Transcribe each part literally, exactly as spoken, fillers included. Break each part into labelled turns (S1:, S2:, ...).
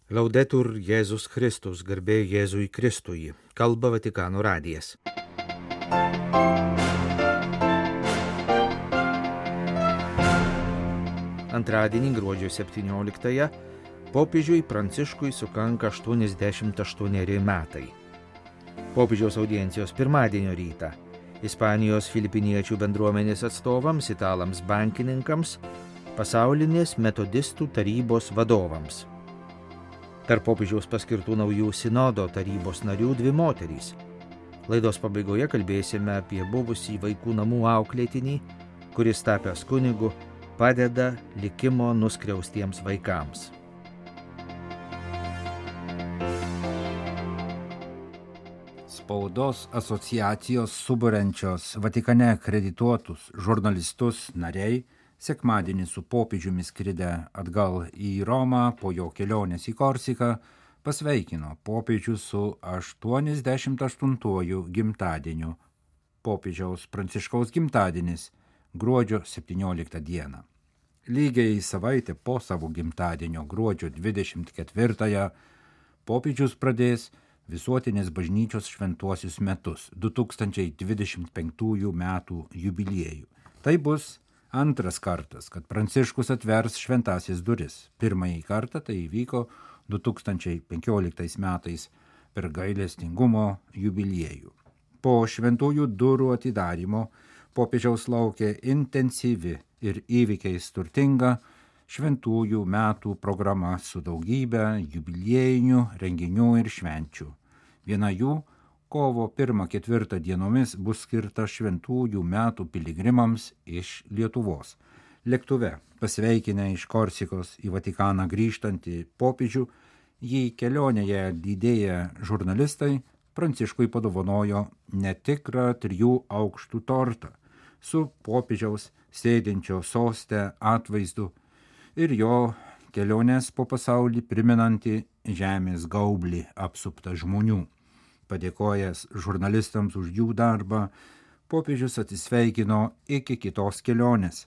S1: Laudetur Jėzus Kristus, garbė Jėzui Kristui, kalba Vatikano radijas. Antradienį gruodžio septynioliktąją popiežiui Pranciškui sukanka aštuoniasdešimt aštuoneri metai. Popiežiaus audiencijos pirmadienio rytą Ispanijos filipiniečių bendruomenės atstovams, italams bankininkams, pasaulinės metodistų tarybos vadovams. Tarp popiežiaus paskirtų naujų sinodo tarybos narių dvi moterys. Laidos pabaigoje kalbėsime apie buvusį vaikų namų auklėtinį, kuris tapęs kunigu padeda likimo nuskriaustiems vaikams.
S2: Spaudos asociacijos suburiančios Vatikane akredituotus žurnalistus nariai sekmadienį su popiežiumi skridę atgal į Romą po jo kelionės į Korsiką pasveikino popiežių su aštuoniasdešimt aštuntuoju gimtadieniu. Popiežiaus Pranciškaus gimtadienis gruodžio septynioliktą dieną. Lygiai savaitę po savo gimtadienio gruodžio dvidešimt ketvirtąją popiežius pradės visuotinės bažnyčios šventuosius metus du tūkstančiai dvidešimt penktųjų metų jubiliejų. Tai bus antras kartas, kad Pranciškus atvers šventąsias duris. Pirmąjį kartą tai įvyko du tūkstančiai penkioliktais metais per gailestingumo jubiliejų. Po šventųjų durų atidarymo popiežiaus laukia intensyvi ir įvykiais turtinga šventųjų metų programa su daugybė jubiliejinių renginių ir švenčių. Viena jų kovo pirmą ketvirtą dienomis bus skirta šventųjų metų piligrimams iš Lietuvos. Lėktuve pasveikinę iš Korsikos į Vatikaną grįžtantį popiežių, jį kelionėje lydėję žurnalistai Pranciškui padovanojo netikrą trijų aukštų tortą su popiežiaus sėdinčio soste atvaizdu ir jo kelionės po pasaulį primenantį žemės gaublį apsuptą žmonių. Padėkojęs žurnalistams už jų darbą, popiežius atsisveikino iki kitos kelionės.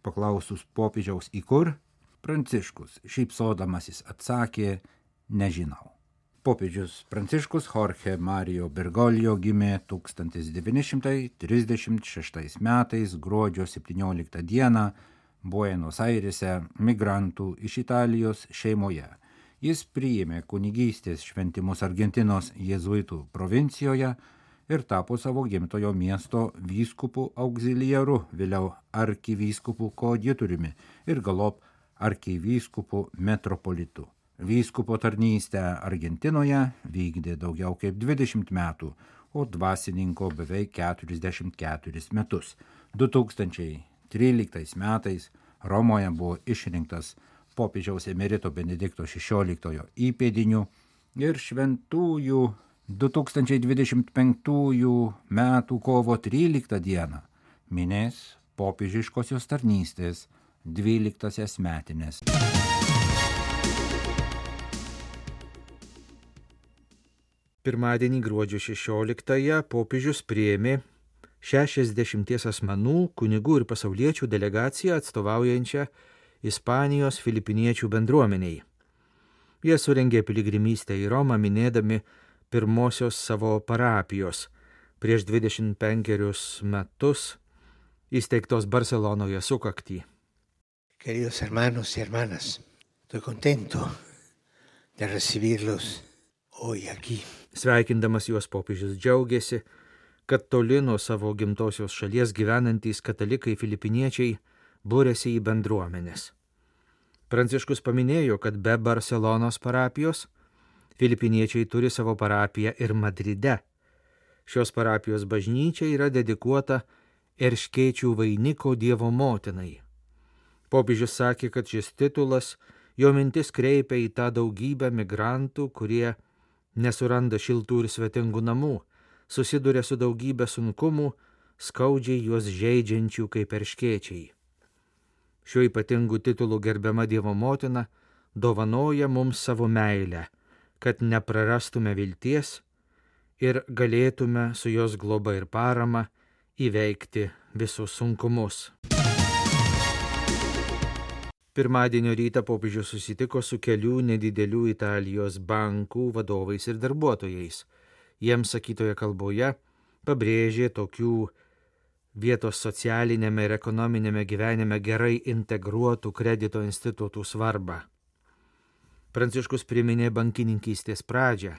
S2: Paklausus popiežiaus į kur, Pranciškus šypsodamasis atsakė, nežinau. Popiežius Pranciškus Jorge Mario Bergoglio gimė tūkstantis devyni šimtai trisdešimt šeštais metais gruodžio septynioliktą dieną Buenos Airėse migrantų iš Italijos šeimoje. Jis priėmė kunigystės šventimus Argentinos jėzuitų provincijoje ir tapo savo gimtojo miesto vyskupų auxiliaru, vėliau arkivyskupu koadjutoriumi ir galop arkivyskupu metropolitu. Vyskupo tarnystę Argentinoje vykdė daugiau kaip dvidešimt metų, o dvasininko beveik keturiasdešimt keturis metus. du tūkstančiai tryliktais metais Romoje buvo išrinktas popiežiaus emerito Benedikto šešioliktojo įpėdiniu ir šventųjų du tūkstančiai dvidešimt penktųjų metų kovo tryliktą dieną minės popiežiškosios tarnystės dvyliktąsias metines.
S1: Pirmadienį gruodžio šešioliktąją popiežius priėmė šešiasdešimties asmenų, kunigų ir pasauliečių delegaciją atstovaujančią Ispanijos filipiniečių bendruomeniai. Jie surengė piligrimystę į Romą minėdami pirmosios savo parapijos prieš dvidešimt penkerius metus įsteigtos Barcelonoje sukaktį.
S3: Queridos hermanos y hermanas, estoy contento de recibirlos hoy aquí.
S1: Sveikindamas juos popiežius džiaugiasi, kad toli nuo savo gimtosios šalies gyvenantys katalikai filipiniečiai būrėsi į bendruomenės. Pranciškus paminėjo, kad be Barcelonos parapijos filipiniečiai turi savo parapiją ir Madride. Šios parapijos bažnyčia yra dedikuota Erškėčių vainiko Dievo motinai. Popiežius sakė, kad šis titulas jo mintis kreipia į tą daugybę migrantų, kurie nesuranda šiltų ir svetingų namų, susiduria su daugybė sunkumų, skaudžiai juos žeidžiančių kaip erškėčiai. Šiuo ypatingu titulu gerbiama Dievo motina dovanoja mums savo meilę, kad neprarastume vilties ir galėtume su jos globa ir parama įveikti visus sunkumus. Pirmadienio rytą popiežius susitiko su kelių nedidelių Italijos bankų vadovais ir darbuotojais. Jiems sakytoje kalboje pabrėžė tokių vietos socialinėme ir ekonominėme gyvenime gerai integruotų kredito institutų svarbą. Pranciškus priminė bankininkystės pradžią.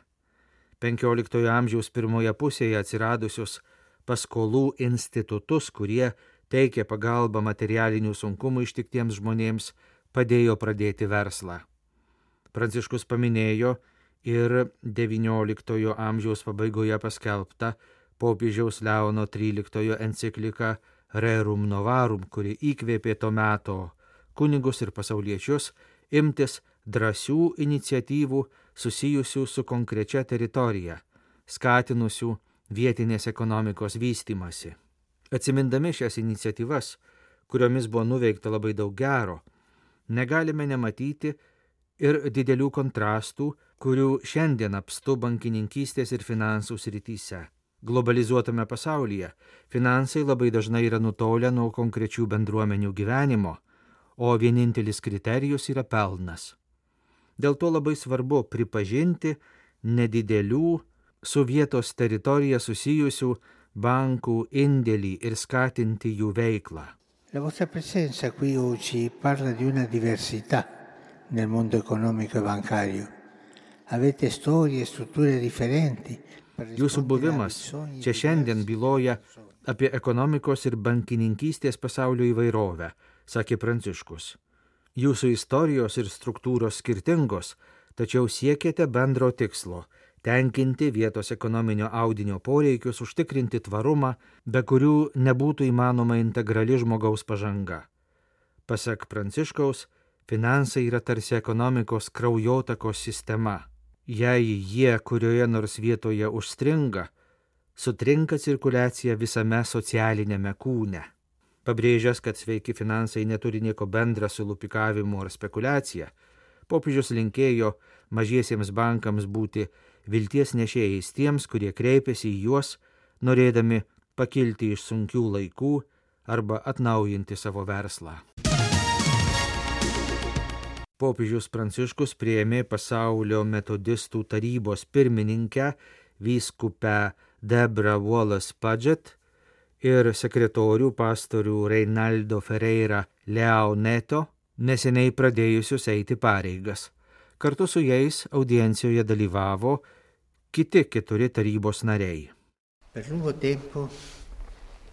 S1: penkioliktojo amžiaus pirmoje pusėje atsiradusius paskolų institutus, kurie teikė pagalbą materialinių sunkumų ištiktiems žmonėms, padėjo pradėti verslą. Pranciškus paminėjo ir devynioliktojo amžiaus pabaigoje paskelbtą popiežiaus Leono tryliktojo encikliką Rerum Novarum, kuri įkvėpė to meto kunigus ir pasauliečius imtis drąsių iniciatyvų susijusių su konkrečia teritorija, skatinusių vietinės ekonomikos vystymasi. Atsimindami šias iniciatyvas, kuriomis buvo nuveikta labai daug gero, negalime nematyti ir didelių kontrastų, kurių šiandien apstu bankininkystės ir finansų srityse. Globalizuotame pasaulyje finansai labai dažnai yra nutolę nuo konkrečių bendruomenių gyvenimo, o vienintelis kriterijus yra pelnas. Dėl to labai svarbu pripažinti nedidelių su vietos teritorija susijusių bankų indėlį ir skatinti jų veiklą.
S3: La vostra presenza qui oggi parla di una diversità nel mondo economico e bancario. Avete storie e strutture differenti.
S1: Jūsų buvimas čia šiandien byloja apie ekonomikos ir bankininkystės pasaulio įvairovę, sakė Pranciškus. Jūsų istorijos ir struktūros skirtingos, tačiau siekėte bendro tikslo – tenkinti vietos ekonominio audinio poreikius, užtikrinti tvarumą, be kurių nebūtų įmanoma integrali žmogaus pažanga. Pasak Pranciškaus, finansai yra tarsi ekonomikos kraujotakos sistema. Jei jie kurioje nors vietoje užstringa, sutrinka cirkuliacija visame socialinėme kūne. Pabrėžęs, kad sveiki finansai neturi nieko bendra su lupikavimu ar spekulacija, popiežius linkėjo mažiesiems bankams būti vilties nešėjais tiems, kurie kreipiasi į juos, norėdami pakilti iš sunkių laikų arba atnaujinti savo verslą. Popiežius Pranciškus priėmė Pasaulio metodistų tarybos pirmininkę vyskupę Deborah Wallace-Paget ir sekretorių pastorių Reinaldo Ferreira Leoneto, neseniai pradėjusius eiti pareigas. Kartu su jais audiencijoje dalyvavo kiti keturi tarybos nariai.
S3: Per lungo tempo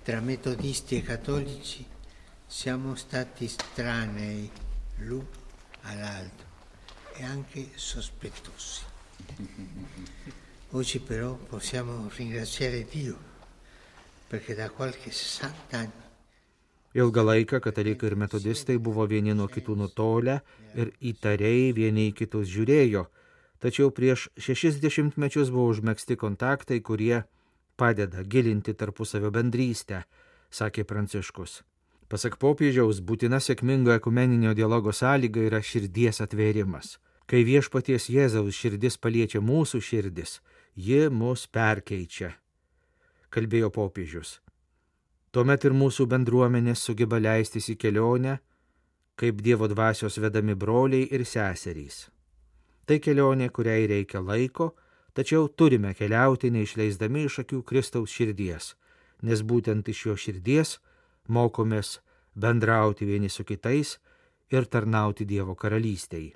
S3: tra metodisti e cattolici siamo stati estranei l'uno all'altro e anche sospettosi. Oggi però possiamo ringraziare Dio perché da qualche sessanta anni
S1: Ilgą laiką katalikai ir metodistai buvo vieni nuo kitų nutolę ir įtariai vieni į kitus žiūrėjo, tačiau prieš šešis dešimtmečius buvo užmegzti kontaktai, kurie padeda gilinti tarpusavio bendrystę, sakė Pranciškus. Pasak popiežiaus, būtina sėkmingo ekumeninio dialogo sąlyga yra širdies atvėrimas. Kai viešpaties Jėzaus širdis paliečia mūsų širdis, ji mus perkeičia, kalbėjo popiežius. Tuomet ir mūsų bendruomenės sugeba leistis į kelionę, kaip Dievo dvasios vedami broliai ir seserys. Tai kelionė, kuriai reikia laiko, tačiau turime keliauti neišleisdami iš akių Kristaus širdies, nes būtent iš jo širdies mokomės bendrauti vieni su kitais ir tarnauti Dievo karalystei.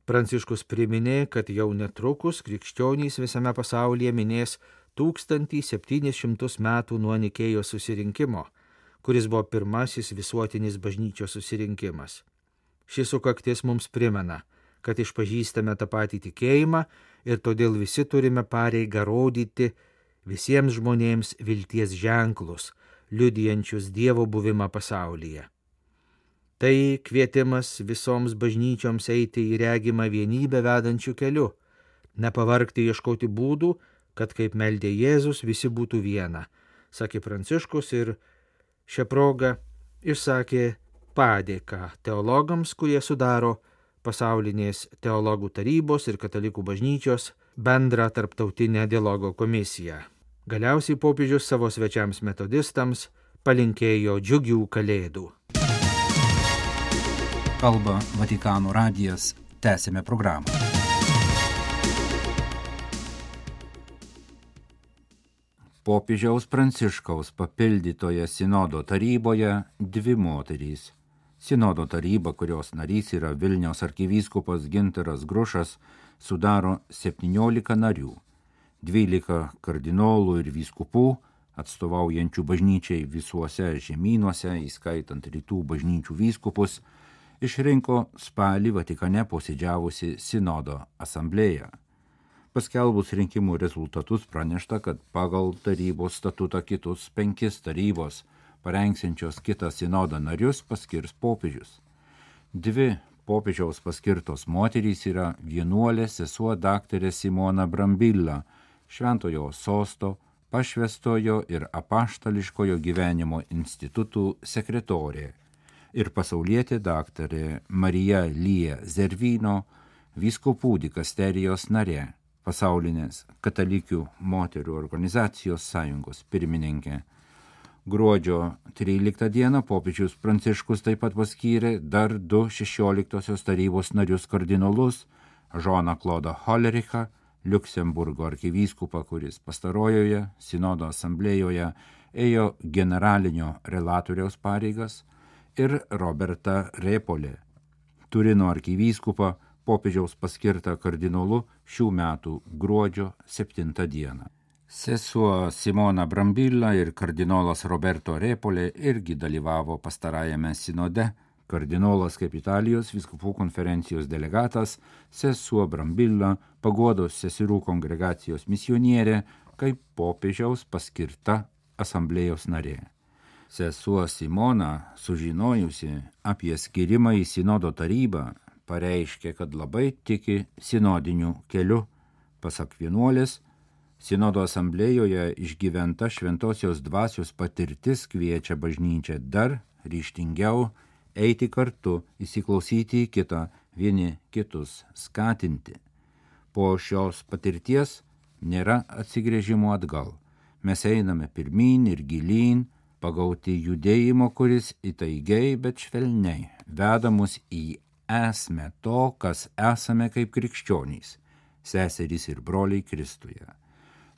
S1: Pranciškus priminė, kad jau netrukus krikščionys visame pasaulyje minės tūkstantį septynis šimtus metų nuo Nikėjos susirinkimo, kuris buvo pirmasis visuotinis bažnyčios susirinkimas. Šis sukaktis mums primena, kad išpažįstame tą patį tikėjimą ir todėl visi turime pareigą rodyti visiems žmonėms vilties ženklus, liudijančius Dievo buvimą pasaulyje. Tai kvietimas visoms bažnyčioms eiti į regimą vienybę vedančių keliu, nepavargti ieškoti būdų, kad kaip meldė Jėzus visi būtų viena, sakė Pranciškus ir šią progą išsakė padėką teologams, kurie sudaro pasaulinės teologų tarybos ir katalikų bažnyčios bendrą tarptautinę dialogo komisiją. Galiausiai popiežius savo svečiams metodistams palinkėjo džiugių kalėdų.
S2: kalba Vatikano radijas. Tęsime programą. Popiežiaus Pranciškaus papildytoje sinodo taryboje dvi moterys. Sinodo taryba, kurios narys yra Vilniaus arkivyskupas Gintaras Grušas, sudaro septyniolika narių, dvylika kardinolų ir vyskupų, atstovaujančių bažnyčiai visuose žemynuose, įskaitant rytų bažnyčių vyskupus, išrinko spalį Vatikane posėdžiavusi sinodo asamblėja. Paskelbus rinkimų rezultatus pranešta, kad pagal tarybos statutą kitus penkis tarybos parengsiančios kitą sinodą narius paskirs popiežius. Dvi popiežiaus paskirtos moterys yra vienuolė sesuo daktarė Simona Brambilla, Šventojo Sosto, Pašvęstojo ir apaštališkojo gyvenimo institutų sekretorė, ir pasaulietė daktarė Marija Lija Zervino, vyskupų dikasterijos narė, pasaulinės katalikių moterų organizacijos sąjungos pirmininkė. Gruodžio tryliktą dieną popiežius Pranciškus taip pat paskyrė dar du šešioliktosios tarybos narius kardinolus, Žoną Klodą Holerichą, Liuksemburgo arkivyskupą, kuris pastarojoje sinodo asamblėjoje ėjo generalinio relatoriaus pareigas, ir Robertą Repolę, Turino arkivyskupą, popiežiaus paskirtą kardinolu šių metų gruodžio septintą dieną. Sesuo Simona Brambilla ir kardinolas Roberto Repolė irgi dalyvavo pastarajame sinode. Kardinolas kaip Italijos vyskupų konferencijos delegatas, sesuo Brambilla paguodos seserų kongregacijos misionierė, kaip popiežiaus paskirta asamblėjos narė. Sesuo Simona, sužinojusi apie skirimą į sinodo tarybą, pareiškė, kad labai tiki sinodiniu keliu. Pasak vienuolės, sinodo asamblėjoje išgyventa šventosios dvasios patirtis kviečia bažnyčią dar ryžtingiau eiti kartu, įsiklausyti į kitą, vieni kitus skatinti. Po šios patirties nėra atsigręžimo atgal. Mes einame pirmyn ir gilyn, pagauti judėjimo, kuris įtaigiai, bet švelniai veda mus į esmę to, kas esame kaip krikščionys, seserys ir broliai Kristuje.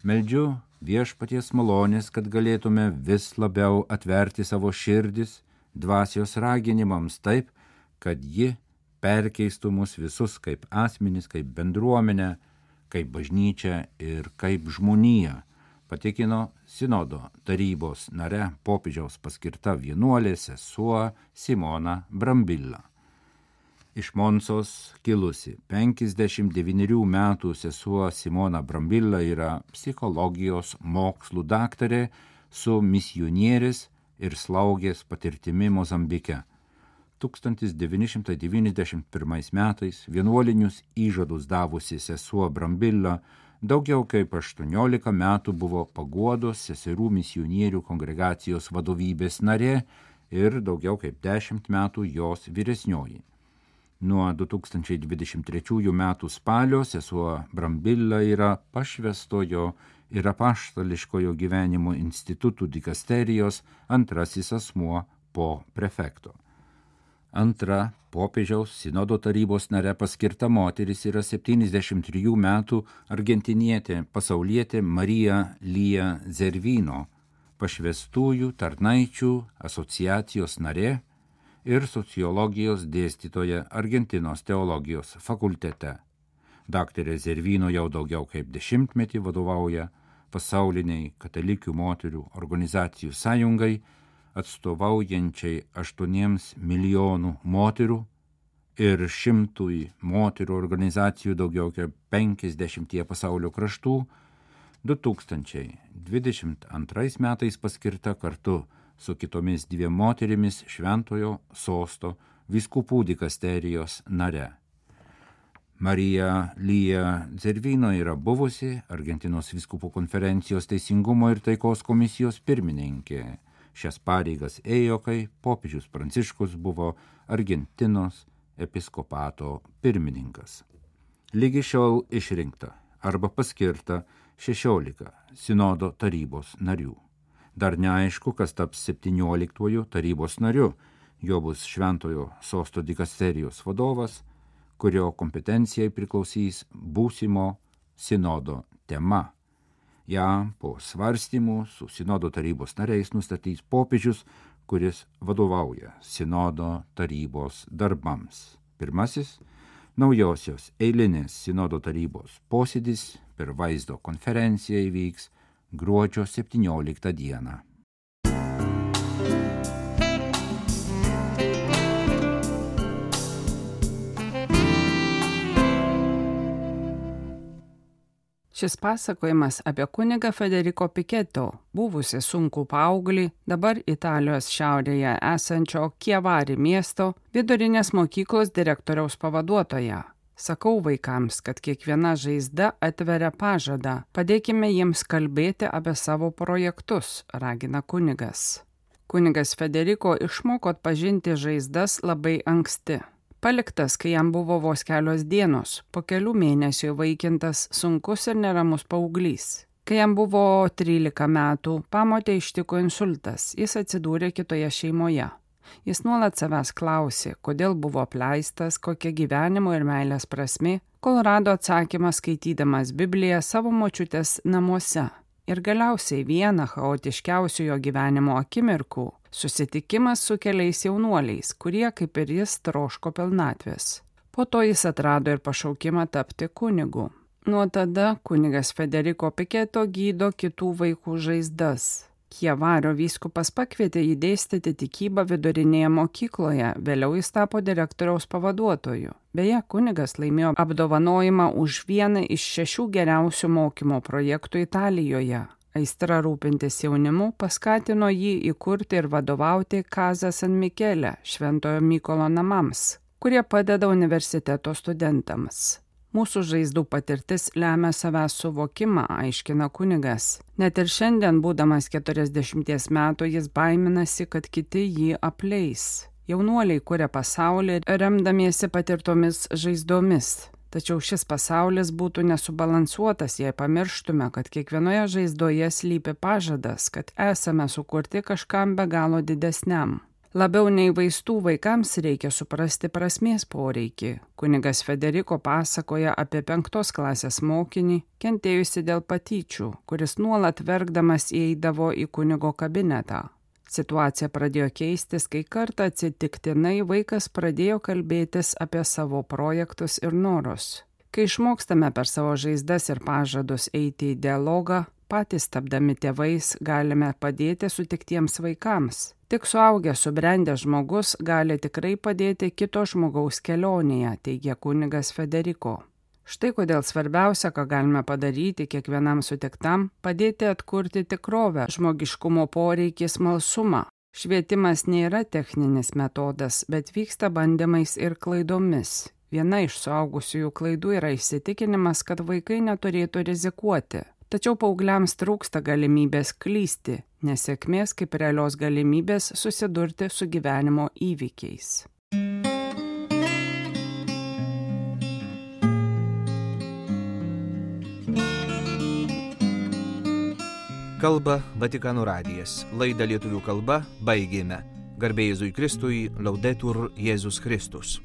S2: Meldžiu viešpaties malonės, kad galėtume vis labiau atverti savo širdis dvasios raginimams taip, kad ji perkeistų mus visus kaip asmenis, kaip bendruomenę, kaip bažnyčią ir kaip žmoniją, patikino sinodo tarybos nare popiežiaus paskirta vienuolė sesuo Simona Brambilla. Iš Monsos kilusi penkiasdešimt devynerių metų sesuo Simona Brambilla yra psichologijos mokslų daktarė su misionierės ir slaugės patirtimi Mozambike. tūkstantis devyni šimtai devyniasdešimt pirmais metais vienuolinius įžadus davusi sesuo Brambilla daugiau kaip aštuoniolika metų buvo paguodos seserų misionierių kongregacijos vadovybės narė ir daugiau kaip dešimt metų jos vyresnioji. Nuo du tūkstančiai dvidešimt trečiųjų metų spalio sesuo Brambilla yra Pašvęstojo ir apaštališkojo gyvenimo institutų dikasterijos antrasis asmuo po prefekto. Antra popiežiaus sinodo tarybos nare paskirta moteris yra septyniasdešimt trijų metų argentinietė pasaulietė Marija Lija Zervino, pašvęstųjų tarnaičių asociacijos narė ir sociologijos dėstytoja Argentinos teologijos fakultete. Daktarė Zervino jau daugiau kaip dešimtmetį vadovauja pasauliniai katalikių moterių organizacijų sąjungai, atstovaujančiai aštuoniems milijonų moterų ir šimtui moterų organizacijų daugiau kaip penkiasdešimtyje pasaulio kraštų. du tūkstančiai dvidešimt antrais metais paskirta kartu su kitomis dviem moterimis Šventojo Sosto vyskupų dikasterijos nare. Marija Lija Zervino yra buvusi Argentinos vyskupų konferencijos teisingumo ir taikos komisijos pirmininkė. Šias pareigas ėjo, kai popiežius Pranciškus buvo Argentinos episkopato pirmininkas. Lygi šiol išrinkta arba paskirta šešiolika sinodo tarybos narių. Dar neaišku, kas taps septynioliktuoju tarybos nariu, Jo bus Šventojo sosto dikasterijos vadovas, kurio kompetencijai priklausys būsimo sinodo tema. Ja po svarstymų su sinodo tarybos nariais nustatys popiežius, kuris vadovauja sinodo tarybos darbams. Pirmasis naujosios eilinės sinodo tarybos posėdis per vaizdo konferenciją įvyks gruodžio septynioliktą dieną.
S4: Šis pasakojimas apie kunigą Federico Piketo, buvusi sunkų paauglį, dabar Italijos šiaurėje esančio Chiavari miesto vidurinės mokyklos direktoriaus pavaduotoją. Sakau vaikams, kad kiekviena žaizda atveria pažadą, padėkime jiems kalbėti apie savo projektus, ragina kunigas. Kunigas Federico išmoko atpažinti žaizdas labai anksti. Paliktas, kai jam buvo vos kelios dienos, po kelių mėnesių įvaikintas sunkus ir neramus paauglys. Kai jam buvo trylika metų, pamotę ištiko insultas, jis atsidūrė kitoje šeimoje. Jis nuolat savęs klausė, kodėl buvo apleistas, kokia gyvenimo ir meilės prasmė, kol rado atsakymą skaitydamas Bibliją savo močiutės namuose. Ir galiausiai vieną chaotiškiausių jo gyvenimo akimirkų – susitikimas su keliais jaunuoliais, kurie, kaip ir jis, troško pilnatvės. Po to jis atrado ir pašaukimą tapti kunigu. Nuo tada kunigas Federico Piketo gydo kitų vaikų žaizdas. Chiavario vyskupas pakvietė jį dėstyti tikybą vidurinėje mokykloje, vėliau jis tapo direktoriaus pavaduotoju. Beje, kunigas laimėjo apdovanojimą už vieną iš šešių geriausių mokymo projektų Italijoje. Aistra rūpintis jaunimu paskatino jį įkurti ir vadovauti Casa San Michele, Šventojo Mykolo namams, kurie padeda universiteto studentams. Mūsų žaizdų patirtis lemia savęs suvokimą, aiškina kunigas. Net ir šiandien, būdamas keturiasdešimties metų, jis baiminasi, kad kiti jį apleis. Jaunuoliai kuria pasaulį remdamiesi patirtomis žaizdomis. Tačiau šis pasaulis būtų nesubalansuotas, jei pamirštume, kad kiekvienoje žaizdoje slypi pažadas, kad esame sukurti kažkam be galo didesniam. Labiau nei vaistų vaikams reikia suprasti prasmės poreikį. Kunigas Federico pasakoja apie penktos klasės mokinį, kentėjusi dėl patyčių, kuris nuolat verkdamas įeidavo į kunigo kabinetą. Situacija pradėjo keistis, kai kartą atsitiktinai vaikas pradėjo kalbėtis apie savo projektus ir norus. Kai išmokstame per savo žaizdas ir pažadus eiti į dialogą, patys tapdami tėvais galime padėti sutiktiems vaikams. Tik suaugęs subrendęs žmogus gali tikrai padėti kito žmogaus kelionėje, teigia kunigas Federico. Štai kodėl svarbiausia, ką galime padaryti kiekvienam sutiktam, padėti atkurti tikrovę, žmogiškumo poreikį, smalsumą. Švietimas nėra techninis metodas, bet vyksta bandymais ir klaidomis. Viena iš suaugusiųjų klaidų yra įsitikinimas, kad vaikai neturėtų rizikuoti. Tačiau paaugliams trūksta galimybės klysti, nesėkmės kaip realios galimybės susidurti su gyvenimo įvykiais.
S1: Kalba Vatikano radijas. Laidą lietuvių kalba baigėme. Garbė Jėzui Kristui, Laudetur Jėzus Kristus.